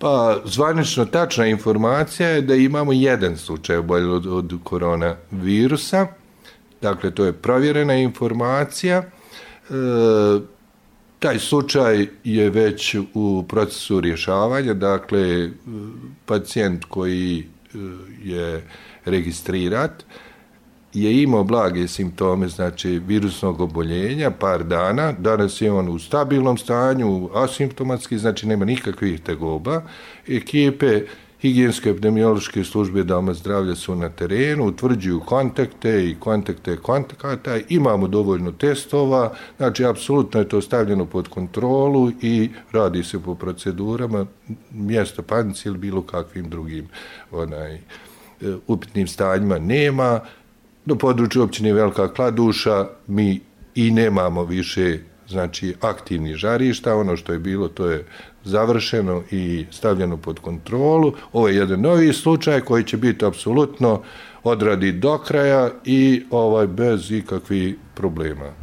Pa, zvanično tačna informacija je da imamo jedan slučaj oboljelog od koronavirusa. Dakle, to je provjerena informacija. Taj slučaj je već u procesu rješavanja. Dakle, pacijent koji je registrirat je imao blage simptome, znači virusnog oboljenja, par dana. Danas je on u stabilnom stanju, asimptomatski, znači nema nikakvih tegoba. Ekipe higijensko-epidemiološke službe doma zdravlja su na terenu, utvrđuju kontakte i kontakte kontakata, imamo dovoljno testova, znači apsolutno je to stavljeno pod kontrolu i radi se po procedurama, mjesto panici ili bilo kakvim drugim upitnim stanjima nema. Na području općine Velika Kladuša mi i nemamo više, znači, aktivnih žarišta. Ono što je bilo, to je završeno i stavljeno pod kontrolu. Ovo je jedan novi slučaj koji će biti apsolutno odradit do kraja i bez ikakvih problema.